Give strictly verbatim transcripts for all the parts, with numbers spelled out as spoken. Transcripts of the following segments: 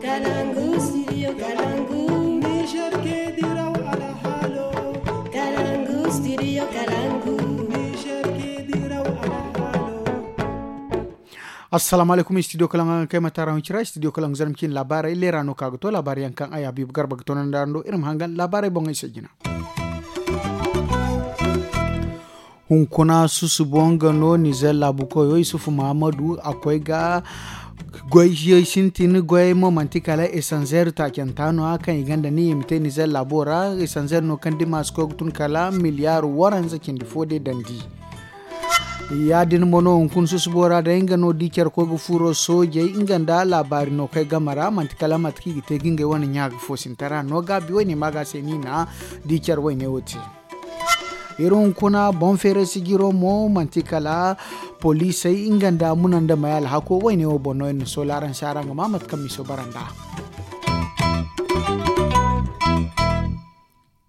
Kalangu, studio Kalangu. Niger ke diraw alhalo. Kalangu, studio Kalangu. Niger ke diraw alhalo. Assalamu alaikum, studio Kalangu, kay mata ra huncira, studio Kalangu, zarmcin labarai lera no ka ga to labarai yankan aya bibu garba ga tonan da rando irin hangan labarai boŋ ay se jina. Hunkuna susubo nga no nizer laabu koyo isufu muhammadu a koy ga goy yey sintin goyey mo manti kala esanzer taacanta no a kaŋ i gonda ni i ma te nizer laabo ra. Esanzer no kaŋ dima si koy ga tun kala miliyar waranza cindi fo de dandi. Ya- din mo no hunkuna susubo ra day nga no di care koy ga furo soojey nga nda laabaari no kay game ra manti kala mate kaŋ i ga te ga ngey wane ɲa ga foosintara no gaabi wayne ma ga se ni na di care wayne wo te. Iri hunkuna boŋ feeray sijiro mo manti kala poliisey nga nda muna nda may alhako wayne wo boŋ no iri na soolaaransi araŋ ga ma mate kaŋ miso bara nda.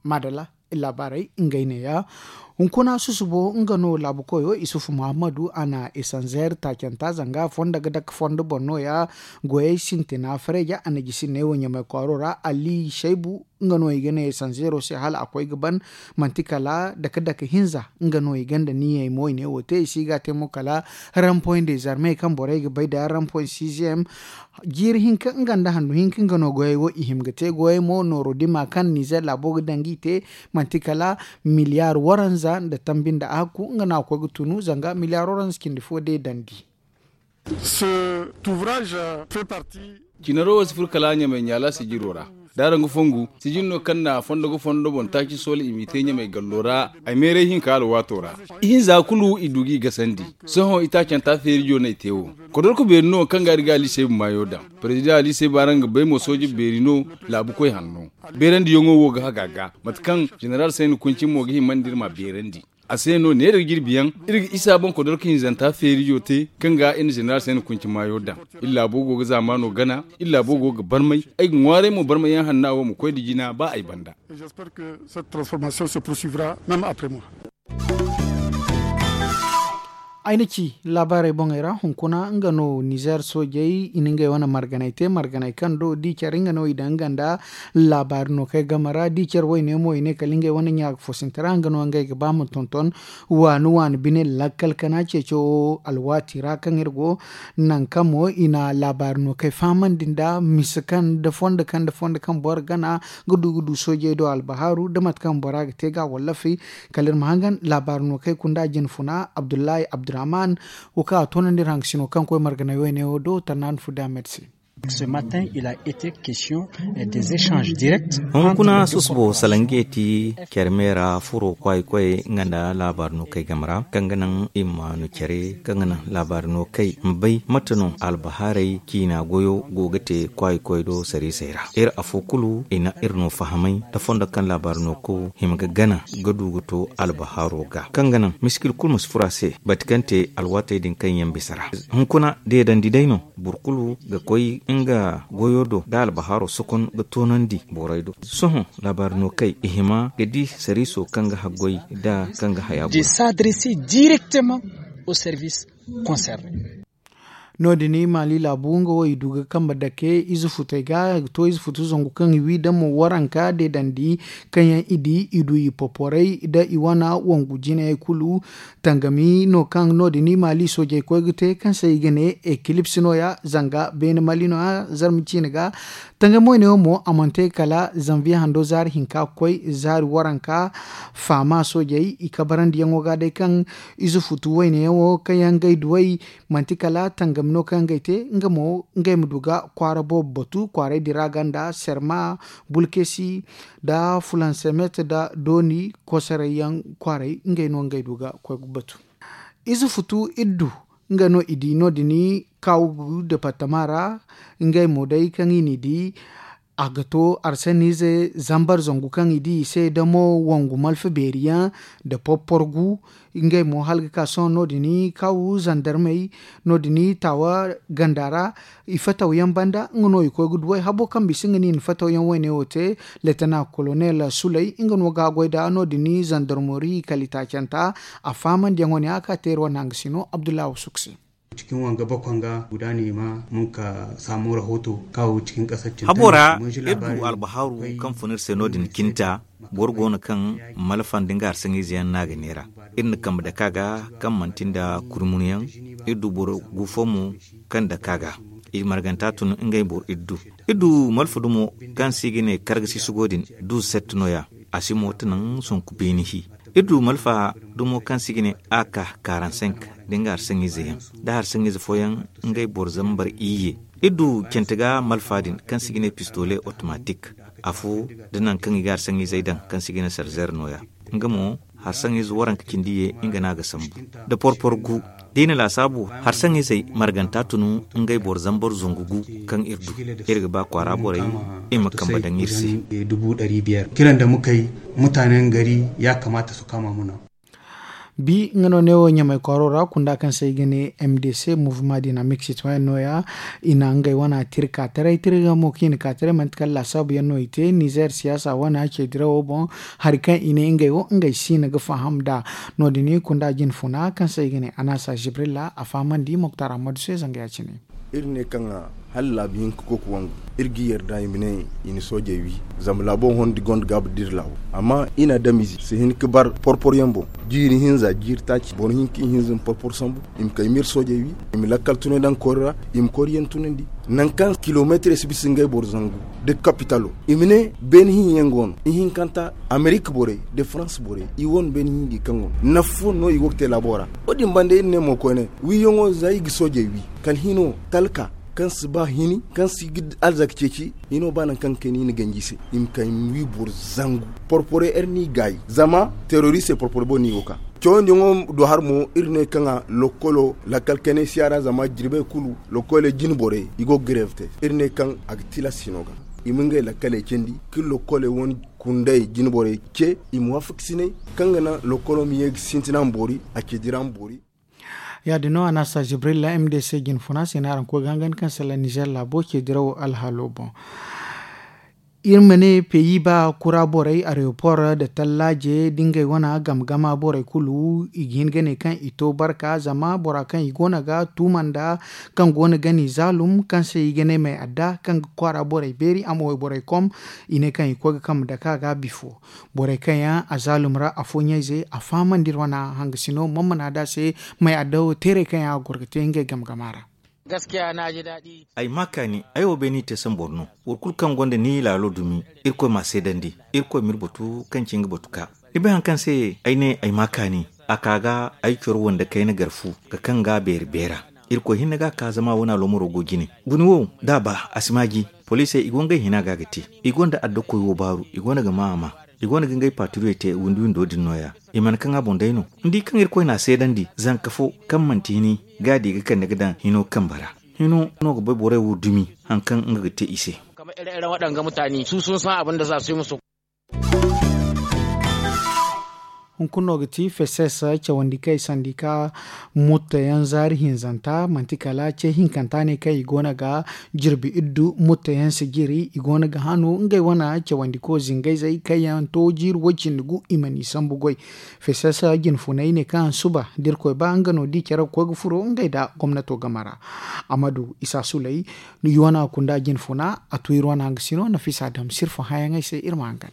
Maadalla, iri laabaarey ngey neeya. Hunkuna susubo nga no laabu koyo isufu muhammadu a na esanzer taacanta zanga fondo ga dake fondo boŋ no- ya. Goyey sintina fareeja a na jisi neewo ɲamay kwaaro ra ali shaybu nga no i ga ne esanzero se hala a koy ga ban. Manti kala dake dake hinza nga no i gonda niyey mo i ne wo te i si ga te mo kala rampoy nda zarmey kaŋ borey ga bay da rampoy sixième. Jiiri hinka nga nda handu hinka nga no goyey wo i hima ga te goyey mo nooro dima kaŋ nizer laabo ga daŋ ga i te. Manti kala miliyar waranza nda tambi nda a hakku nga no a koy ga tunu zanga miliyar waranza cindi fo day dandi. Cinaro wo si furo kala ɲamay ɲaala sijiro ra. Da araŋ ga fongu sijir no kaŋ na fondo ga fondo boŋ taaci soola i m'i te ɲamay gallo ra. Ay meeray hinka alwaato ra ihinza kulu i du g'i gasandi. Sohõ itaacanta feerijo no ay te wo. Kodorko beeri no kaŋ ga iri ga ali seebu maayo daŋ. Parezidaŋ ali seebu araŋ ga bay mo sooje beeri no. Laabukoy hanno beerandiyaŋo wo ga haga ga mate kaŋ jeneral sayni kunci mo ga himandi iri ma beerandi. A se no neera jirbiyaŋ iri ga isa boŋ kodorka hinzanta feerijo te kaŋ ga iri na jeneral sayni kunci maayo daŋ. Iri laabo go ga zaamaano gana. Iri laabo go ga barmay. Ay ga ŋwaaray mo barmayyaŋ hanna wo ma koy nda jina ba ay banda. Ay na ci laabaarey boŋey ra hunkuna nga no nizer soojey i na ngey wane marganey te marganey kaŋ do di care nga no i daŋ nga nda laabaari no kay game ra di care wayne mo i ne kala ngey wane ɲa ga foosinta ra nga no ngey ga ba ma tonton. Waani waani bine lakkal kana ceeco alwaati ra kaŋ iri go nangu kaŋ mo i na laabaari no kay fahamandi nda mise kaŋ nda fondo kaŋ nda fondo kaŋ boro gana ga du ga du soojey do albahaaru da mate kaŋ bora ga te ga wallafey. Kala iri ma hangan laabaari no kay kunda jine funa abdullahi abdurrahman wo kaŋ a toonandi iri hangasino kaŋ koy marganay wayne wo do tarnaani fu da a medi se. Hunkuna susubo salange ti care me ra furo kwaay koy nga nda laabaari no kay game ra kaŋ ga naŋ i ma no care kaŋ ga naŋ laabaari no kay ma bay mate no albahaarey ciina goyo go ga te kwaay koy do sariisey ra iri afo kulu i na iri no fahamay da fondo kaŋ laabaari no ko hima ga gana ga du ga to albahaaro ga kaŋ ga naŋ miskil kulu ma si furo a se bati kaŋ te alwaatey din kaŋ yaŋ bisa ra. Hunkuna deedandi day no boro kulu ga koy nga goyo do da albahaaro sokon ga toonandi borey do. Sohõ laabaari no kay i hima ga di sariiso kaŋ ga haggoy da kaŋ ga haya goy. No- din maali laabu nga wo i du ga kambe dake ize futey ga ga to ize futu zangu kaŋ i wi damo waranka deedandi kaŋ yaŋ i di i du i poporey da i wana wangu jinayey kulu. Tangami no kaŋ no- din maali soojey koy ga te kaŋ se i ga ne ekilips no- ya zanga beene mali no- ya zarma ciine ga. Tangami wayne wo mo a mana te kala zanviye hando zaari hinka ga koy zaari waranka faama soojey i kabarandiyaŋo ga day kaŋ ize futu wayne yaŋo kaŋ yaŋ ngey duwey manti kala tangami no kaŋ ngey te nga mo ngey ma du ga kwaara boobo batu kwaarey din ra ganda serma bulkesi da fulansemet da dooni kosoray yaŋ kwaarey ngey no ngey du ga koy ga batu. Ize futu iddu nga no i di no- din kaw departama ra ngey mo day kaŋ i n'i di a ga to arsanize zambar zangu kaŋ i di i se damo wangu malfa beeri yaŋ da porpor gu. Ngey mo hala ga ka sohõ no- din kaw zandarmey no- din taawa ganda ra i fataw yaŋ banda nga no i koy ga duwey habo kaŋ bisa nga no i na fataw yaŋ wayne wo te. Letena kolonel suley nga no ga a goy da no- din zandarmori kala i taacanta a fahamandi yaŋo ne a ka teeri wane hanga si no abdullahi wasuku se. Cikin wanga bakon ga guda ne ma mun ka samu rahoto kawo cikin kasar Habora, iri du albahaaru kaŋ fun iri se no- din cinta. Boro go no kaŋ malfa nda nga harsaŋize yaŋ no a ga neera. Iri na kambe dake a ga kaŋ manti nda kurmunyaŋ. Iri du boro gu fo mo kaŋ dake a ga. I marganta tun ngey boro iri du. Iri du malfa dumo kaŋ se i ga ne kargasi sugo din du sette no- ya. A si mo ti naŋ sonku beeni hi. Iri du malfa dumo kaŋ se i ga ne a ka karansenk, da nga harsaŋize yaŋ da harsaŋize fooyaŋ. Ngey boro zambar iyye. Iri du cente ga malfa din kaŋ se i ga ne pistole otomatik. Afo da nangu kaŋ i ga harsaŋizey daŋ kaŋ se i ga ne sarzer no- ya. Nga mo harsaŋize waranka cindi ye nga no a ga sambu. Da porpor gu da i na laasaabu harsaŋizey marganta tunu. Ngey boro zambar zangu gu kaŋ iri du. Iri ga ba kwaara borey i ma kambe daŋ iri se. Kiran da mukay mutanen gari ya kamata su kama muna. Bi nga no ne wo ɲamay kwaaro ra kunda kaŋ se i ga ne m d c mouvement dynamique citoyen no- ya. I na ngey wana tirka taray tirga mo kaŋ i na ka taray manti kala laasaabu yaŋ no i te nizer siyaasa wana ce dirawo boŋ. Hari kaŋ i ne ngey wo ngey si na ga faham da. No- din i kunda jin funa kaŋ se i ga ne anasa jibrilla a fahamandi moktar ahmadu se zanga ya- cine. Iri ne kaŋ hala laabi hinka koy ga wangu iri ga yarda i ma ne i na soojey wi. Zama laabo hondi gonda gaabu da iri laabu amma i na adamize si hin ga bar porpor yaŋ boŋ. Jiiri hinza jiiri taaci boro hinka i hinza ma porpor sambu. I ma kay ma iri soojey wi i ma lakkal tunay daŋ koori ra. I ma koori yaŋ tunandi nangu kaŋ kilomeetirey si bisa ngey boro zangu da kapitalo. I ma ne beene hinyaŋ go no ihinkanta amerik borey da farans borey i wane beene hinji kaŋ go no nafa fo no i go ga te laabo ra. Wo- din banda iri ne mo koyne wiiyaŋo za i ga soojey wi kala hino talka kaŋ si ba hini kaŋ si ga alzaka ceeci. Hino ba nangu kaŋ ga kayna i na ganji se i ma kay ma wi boro zangu porpore iri n'i gaayi zama teroriste porpore boŋ no i go ga ka. Cawandiyaŋo do har mo iri ne kaŋ a lokkolo lakkal kaynay si a ra zama jirbey kulu lokkoley jine borey i go ga greve te. Iri ne kaŋ a ga tilas hino ga i ma ngey lakkaley candi ka lokkoley wane kunday jine borey ce i ma waafaksinay kaŋ ga naŋ lokkolo ma ye ga sintina ma boori a ce dira ma boori. Ya- din no a na a sa jibrilla m d c jine funa se no araŋ koy ga hangan kaŋ sala nizer laabo ce dirawo alhaalo boŋ. Iri ma ne peyi ba kura borey arewopor nda tallaaje da ngey wane game gama borey kulu i ga hin ga ne kaŋ i to barka zama bora kaŋ i goono ga tuuma nda kaŋ goono ga ni zaalum kaŋ se i ga ne may adda kaŋ ga kwaara borey beeri a ma wayborey kom. I ne kaŋ i koy ga kambe dake a ga bifo borey kaŋ yaŋ a zaalum ra afooyaŋ ize a fahamandi iri wane hangasino man mana da se may adda wo teerey kaŋ yaŋ a goro ga te ngey game gama ra. Ay ma kaani ay wo bay no i te sambu boro no. Boro kulu kaŋ gonda ni laalo dumi irkoy m'a seedandi. Irkoy m'iri batu kaŋ ci nga batu ka ni bay hari kaŋ se ay ne ay ma kaani a ka ga ay coro wande kayna gar fu ga kaŋ ga beeri beera. Irkoy hinne ga a ka zama wane aloomaro go jine. Guni wo da a ba a si maaji. Poliisey i go ngey hina ga ga te. I gonda addakoy wo baaru i gonda ga ma a ma. I gonda ga ngey paatiriyo te windi windo din no- ya. I mana kaŋ a boŋ day no. Ni di kaŋ irkoy n'a seedandi zanka fo kaŋ manti hini ga a di ga kande ga daŋ hino kambe ra. Hino no ga bay borey wo dumi hari kaŋ nga ga te i se. Hunkuna no ga ti feses cawandi kay sandi ka mutta yaŋ zaari hinzanta manti kala ce hinkanta ne kaŋ i go no ga jirbi iddu mutta yaŋ si jiri i go no ga hanu ngey wane cawandi ko zingayzey kaŋ yaŋ to jiiri way cindi gu i mana i sambu goy. Feses jinfunay ne kaŋ suba da irkoy ba nga no di care ga koy ga furo ngey nda gomnato game ra. Amadu isa sulay i wane kunda jinfuna a tu iri wane hangasino nafisa dam sirfa hayaŋey se iri ma hangan.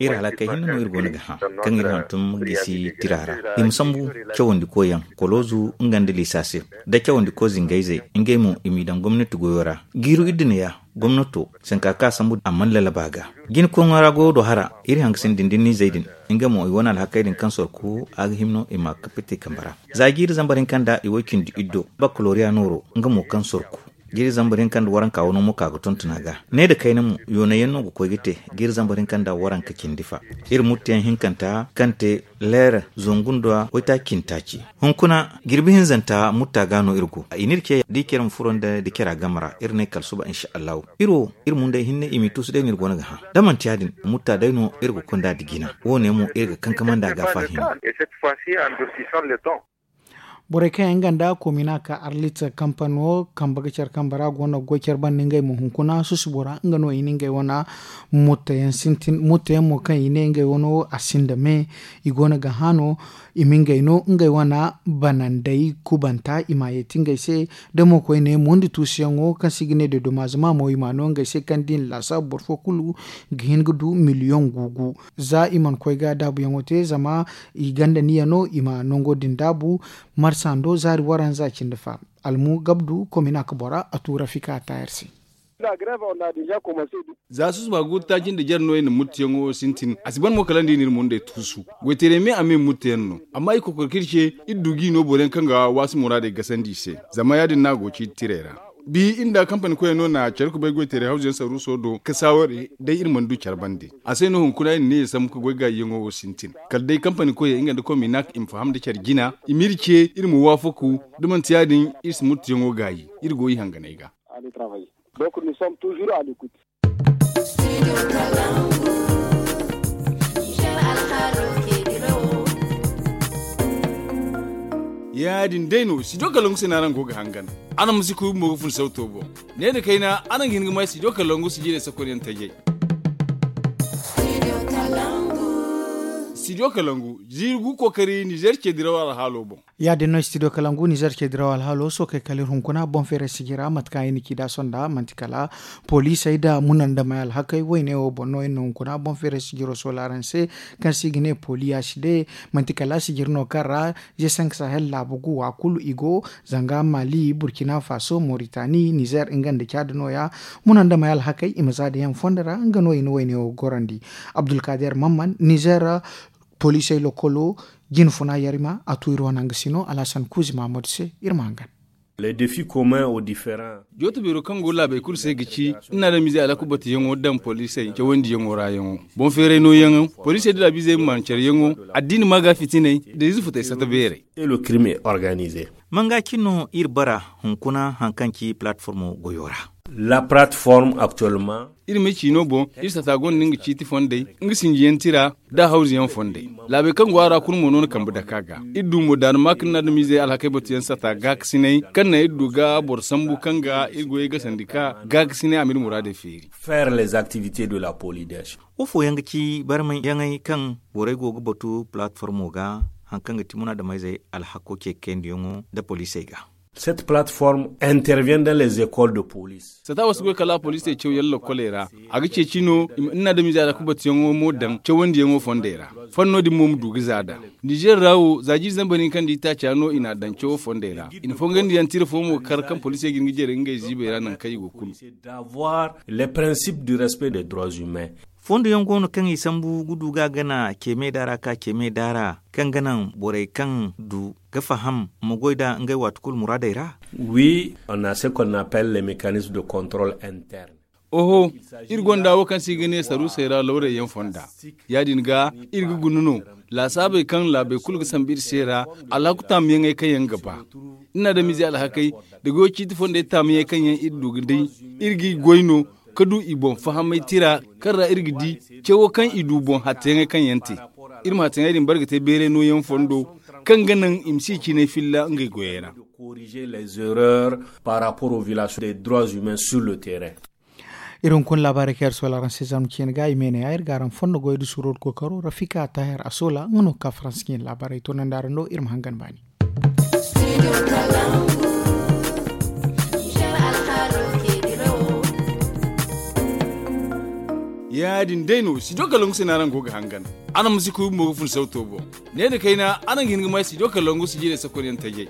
Iri halakey hinne no iri go no ga hã kaŋ iri hantum gisi tira ra. I ma sambu cawandikoy yaŋ koloozu nga nda liisa se da cawandiko zingayzey ngey mo i m'i daŋ gomnati goyo ra. Jiiru iddu ne ya gomnato sanka ka sambu a mana lalaba ga. Jina koŋo ra goyo do hara iri hangasino dindinizey din. Nga mo i wane alhakey din kaŋ sorku a ga hima no i ma a kappite kambe ra. Za jiiri zambar hinka nda i way cindi iddo bakaloriya nooro nga mo kaŋ sorku. Jiiri zambar hinka nda waranka wano mo ka ga tonton a ga. Ne nda kayna mo yoonay yaŋ no ga koy ga te. Jiiri zambar hinka nda waranka cindi fa iri muttu yaŋ hinkanta kaŋ te leera zangu nda waytaaci cindi taaci. Hunkuna jirbi hinzanta mutta ga no iri go i n'iri ce da i care ma furo nda da care a game ra iri ne kala suba insa allahu. Iri wo iri mundey hinne i m'i tuusu day no iri go no ga hã da manti ya- din mutta day no iri ga konda nda jina. Wo- ne mo iri ga kankamandi a ga a faahima. Borey kaŋ yaŋ ganda koomina ka arlit kampano kambe ga care kambe ra go no ga goy care banda ngey ma hunkuna susu bora nga no i na ngey wane mutta yaŋ sintin mutta yaŋ mo kaŋ i ne ngey wano a sinda me. I go no ga hã no i ma ngey no ngey wane banandey kubanta i ma a yeeti ngey se. Da mo koyne mundi tuusuyaŋo kaŋ se i ga ne de domazama mo i ma a no ngey se kaŋ da i na laasaabu boro fo kulu ga hin ga du miliyoŋ guugu. Za i mana koy ga daabuyaŋo te zama i ganda niya no i ma nango din daabu. Marsando zaari waranza cindi fa almu gabdu komina ka bora a tuura fika a taayar se. Za susuba guuru taaci nda jare no i na muttiyaŋo sintin a si ban mo kala nda i na iri mundey tuusu. Goytaray me a me muttiyaŋ no amma i kokor kaŋ iri ce iri du ga i no boro yaŋ kaŋ ga waasu muraadey gasandi i se. Zama ya- din no a go ciiti tirey ra. Bi iri nda kampani koyey no na care kubay goytaray hawzu yaŋ saruuso do ka saaware day iri mana du care bande. A se no hunkuna iri na ne iri sambu ka goy gaayiyaŋo wo sintin kala day kampani koyey nga nda kominak i ma faham nda care jina i ma iri ce iri ma waafaku. Da manti ya- din iri si muttiyaŋo gaayi iri go i hanganey ga. Ya- din day no studio kalangu se no araŋ go ga hangan. Araŋ ma si kuy bumbo ga fun sawto boŋ. Ne nda kayna araŋ ga hin ga may studio kalangu sijirey sakonyaŋ tajey. Studio kalangu ziiri gu kookari nizer ce diraw alhaalo boŋ. Ya- din no studio kalangu nizer ce diraw alhaalo sookey kala iri hunkuna boŋ feeray sijira mate kaŋ ay na ci nd'a sonda manti kala poliisey nda munandamey alhakey woyne wo boŋ no iri na hunkuna boŋ feeray sijiro soola araŋ se. Kaŋ se i ga ne poliya side manti kala sijir no kaŋ ra ze sank sahel laabu gu wa kulu i go. Zanga mali burkina faso moritani nizer nga nda caadi nooya. Munandamey alhakey i ma za da yaŋ fondo ra nga no i na woyne wo gorandi. Abdulkader mamman nizer poliisey lokolo jine funa yarima a tu iri wane nga si no alhasan kuuzi mahamadu se. Iri ma hangan. Les défis communs aux différents. Jooto beero kaŋ go laabey kulu se ga ci iri na adamiizey alhaku batuyaŋo daŋ poliisey cawandiyaŋo ra yaŋo. Boŋ feeray nooyaŋo poliisey nda laabiizey ma maan careyaŋo addiini maaga fitiney nda ize futey sata beerey. Et le crime est organisé. Manga cine no iri bara hunkuna hari kaŋ ci palatformo goyo ra. La palatform actuellement. Iri ma ciino boŋ iri sata gonda nga ciiti fondey nga sinjiyaŋ tira nda hawzuyaŋ fondey. Laabey kaŋ go a ra kulu mo no na kambe dake a ga. Iri du mo daana ma kaŋ ni adamiizey alhakey batuyaŋ sata gaakasiney kaŋ naŋ iri du ga boro sambu kaŋ ga iri goyey gasandi ka gaakasiney a ma iri muraadey feeri. Faire les activités de la police. Wo fooyaŋ ga ci barmayyaŋey kaŋ borey go ga batu palatformo ga hari kaŋ ga ti munaadameyzey alhako ce kaynayaŋo nda poliisey ga. Cette plateforme intervient dans les écoles de police. Sata wo si goy kala a poliisey cawyaŋ lokkoley ra. A ga ceeci no i ma ni na adamiizey alhako batuyaŋo mo daŋ cawandiyaŋo fondey ra. Fanno din mo ma du ga za nd'a. Nizer ra wo za jiiri zambar hinka nda itaaca no i n'a daŋ cawo fondey ra. I na fongandiyaŋ tira fo mo kar kaŋ poliisey ga hin ga jare ngey ziibey ra nangu kaŋ i go kulu. D'avoir les principes du respect des droits humains. Fondo yaŋ go no kaŋ i sambu ga du ga gana ce me daara ka ce me daara kaŋ ga naŋ borey kaŋ du ga faham ma goy nd'a ngey waati kulu muraadey ra. Oui, on a ce qu'on appelle les mécanismes de contrôle interne. Oho, iri gonda wo kaŋ se i ga ne saruusey ra lawrey yaŋ fonda. Ya- din ga iri ga guna no laasaabey kaŋ laabey kulu ga sambu iri se ra. Alhaku taamuyaŋey kaŋ yaŋ ga ba iri na adamiizey alhakey da goyo ciiti fondey taamuyaŋey kaŋ yaŋ iri du ga day iri g'i goy no ka du i boŋ fahamay tira kaŋ ra iri ga di cawo kaŋ i du boŋ hatteyaŋey kaŋ yaŋ te. Iri ma hatteyaŋey din bare ga te beeray nooyaŋ fondo kaŋ ga naŋ i ma si i cinay filla ngey goyey ra. Corriger les erreurs par rapport aux violations des droits humains sur le terrain. Iri hunkuna laabaarey kaŋ iri soola araŋ se zarma ciine ga i me ne ya iri ga araŋ fondo goy da suuro da kookaro rafika taahir a soola nga no ga ka faransa ciine laabaarey toonandi araŋ do iri ma hangan baani. Ya- din day no studio kalangu se no araŋ go ga hangan. Araŋ ma si kuy bumbo ga fun sawto boŋ. Ne nda kayna araŋ ga hin ga may studio kalangu sijirey sakonyaŋ tajey.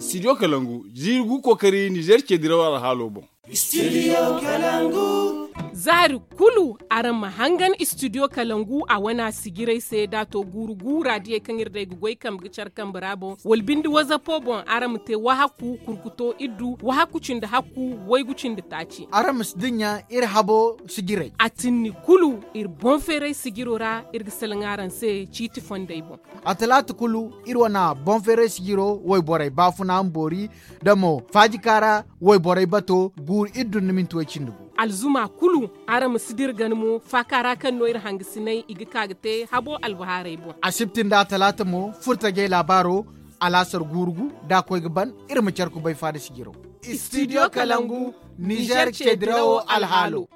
Studio kalangu ziiri gu kookari nizer ce diraw alhaalo boŋ. Studio kalangu. Zaari kulu araŋ ma hangan studio kalangu a wana sijirey se da a to guuru gu raadiyey kaŋ iri day ga goy kambe ga care kambe ra boŋ wala binde wazapo boŋ araŋ ma te wahaku kurkuto iri du wahaku cindi hakku waygu cindi taaci. Araŋ ma si dinya iri habo sijirey. A tinni kulu iri boŋ feeray sijiro ra iri ga salaŋ araŋ se ciiti fondey boŋ. A talaata kulu iri wane boŋ feeray sijiro wayborey baafuna ma boori da mo faajika ra wayborey bato guuru iri dunda minti way cindi gu. Alzuma kulu, araŋ ma si dira gana mo faaka ra kaŋ no iri hangasinay i ga ka ga te habo albahaarey boŋ. Asibti nda talaata mo furtajey laabaaro, alaasar guurugu da a koy ga ban. Iri ma care kubay faada sijiro. Studio kalangu, nizer ce dirawo alhaalo.